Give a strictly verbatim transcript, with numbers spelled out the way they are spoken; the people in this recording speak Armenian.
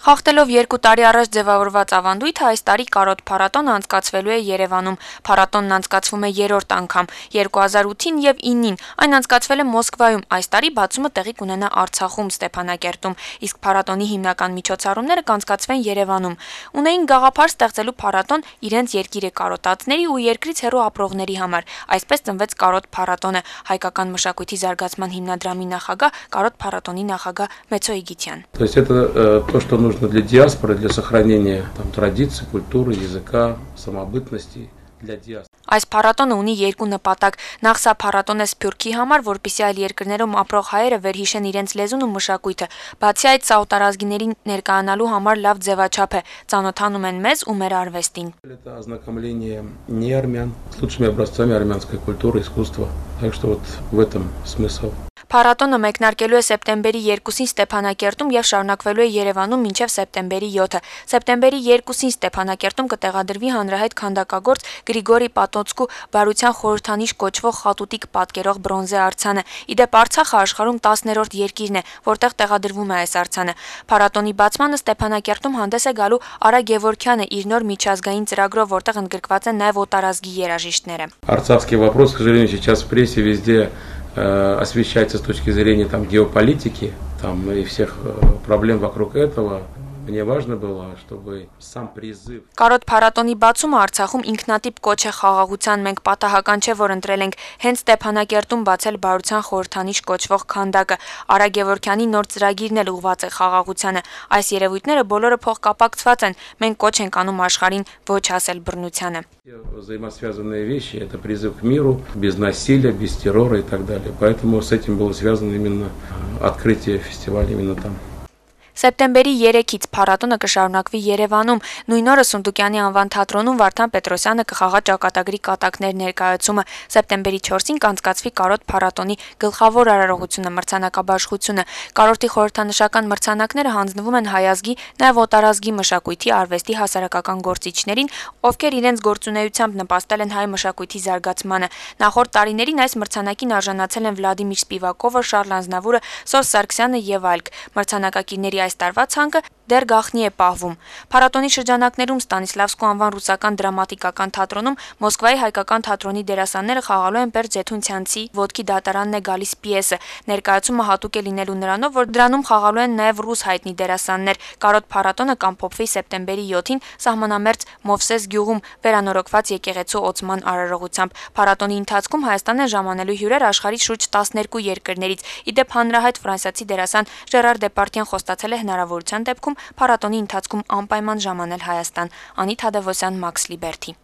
Խախտելով երկու տարի առաջ ձևավորված ավանդույթը, այս տարի կարոտ փառատոնը անցկացվելու է Երևանում։ Փառատոնն անցկացվում է երրորդ անգամ։ երկու հազար ութին եւ իննին այն անցկացվել է Մոսկվայում, այս տարի բացումը տեղի կունենա Արցախում, Ստեփանակերտում, իսկ փառատոնի հիմնական միջոցառումները կանցկացվեն Երևանում։ Ունեին գաղափար ստեղծելու փառատոն իրենց երկիրը կարոտածների ու երկրից հեռու ապրողների համար։ Այսպես ծնվեց կարոտ փառատոնը։ Հայկական մշակույթի զարգացման հիմնադրամի նախագահ, կարոտ փառատոնի նախագահ Մեծո Իգիթյան։ То есть это то, что нужно для диаспоры, для сохранения там, традиций, культуры, языка, самобытности для диаспоры. Այս փառատոնը ունի երկու նպատակ։ Նախ սա փառատոն է Սփյուռքի համար, որպեսզի այլ երկրներում ապրող հայերը վերհիշեն իրենց լեզուն ու մշակույթը։ Բացի այդ, սա օտարազգիներին ներկայանալու համար լավ ձևաչափ է, ծանոթանում են մեզ ու մեր արվեստին։ Это ознакомление не армян с лучшими образцами армянской культуры, искусства. Так что вот в этом смысл. Փառատոնը մեկնարկելու է սեպտեմբերի երկուսին Ստեփանակերտում եւ շարունակվելու է Երևանում մինչեւ սեպտեմբերի յոթը։ Սեպտեմբերի երկուսին Ստեփանակերտում կտեղադրվի հանրահայտ քանդակագործ Գրիգորի Պատոցկու բարության խորհրդանիշ կոչվող խատուտիկ պատկերող բրոնզե արձանը։ Իդեպ Արցախը աշխարհում տասներորդ երկիրն է, որտեղ տեղադրվում է այս արձանը։ Փառատոնի բացմանը Ստեփանակերտում հանդես է գալու Արա Գևորգյանը իր նոր միջազգային ծրագրով, որտեղ ընդգրկված են նաեւ օտարազգի երաժիշտները։ Арцахский вопрос, к сожалению, сейчас в прессе везде освещается с точки зрения там, геополитики там, и всех проблем вокруг этого. Мне важно было, чтобы сам призыв. Կարոտ փառատոնի բացումը Արցախում ինքնատիպ կոչ է խաղաղության, մենք պատահական չէ, որ ընտրել ենք հենց Ստեփանակերտում բացել բարության խորհրդանիշ կոչվող քանդակը։ Արա Գևորգյանի նոր ծրագիրն էլ ուղղված է խաղաղությանը։ Այս երևույթները բոլորը փոխկապակցված են։ Մենք կոչ ենք անում աշխարհին ոչ հասել բռնությանը։ Взаимосвязанные вещи – это призыв к миру, без насилия, без террора и так далее. Поэтому с этим было связано именно открытие фестиваля именно там. Սեպտեմբերի երեքից փառատոնը կշարունակվի Երևանում։ Նույն օրը Սունդուկյանի անվան թատրոնում Վարդան Պետրոսյանը կխաղա ճակատագրի կատակներ ներկայացումը։ Սեպտեմբերի չորսին կանցկացվի կարոտ փառատոնի գլխավոր արարողությունը մրցանակաբաշխությունը։ Կարոտի խորհրդանշական մրցանակները հանձնվում են հայազգի, նաև օտարազգի մշակույթի, արվեստի հասարակական գործիչներին, ովքեր իրենց գործունեությամբ նպաստել են հայ մշակույթի զարգացմանը։ Նախորդ տարիներին այս մրցանակին արժանացել են Վլադիմիր Սպիվակովը, Շարլ Անձնավուրը, Սոս Սարգսյանը եւ այլք։ Մրցանակակիրների այս տարվա ցանկը դեռ գաղտնի է պահվում։ Փառատոնի շրջանակներում Ստանիսլավսկու անվան ռուսական դրամատիկական թատրոնում Մոսկվայի հայկական թատրոնի դերասանները խաղալու են Բերդ Ձեթունցյանցի «Ոտքի դատարանն է գալիս» պիեսը։ Ներկայացումը հատուկ է լինելու նրանով, որ դրանում խաղալու են նաև ռուս հայտնի դերասաններ։ Կարոտ փառատոնը կամփոփվի սեպտեմբերի յոթին սահմանամերձ Մովսես գյուղում վերանորոգված եկեղեցու օծման արարողությամբ։ Փառատոնի ընթացքում Հայաստան են ժամանելու հյուրեր աշխարհի շուրջ տասներկու երկրներից։ Իդեպ հանրահայտ ֆրանսիացի դերասան Ժերար Դեպարտյան խոստացել է հնարավորության դեպքում փառատոնի ընթացքում անպայման ժամանել Հայաստան։ Անի Թադևոսյան, Մաքս Լիբերթի։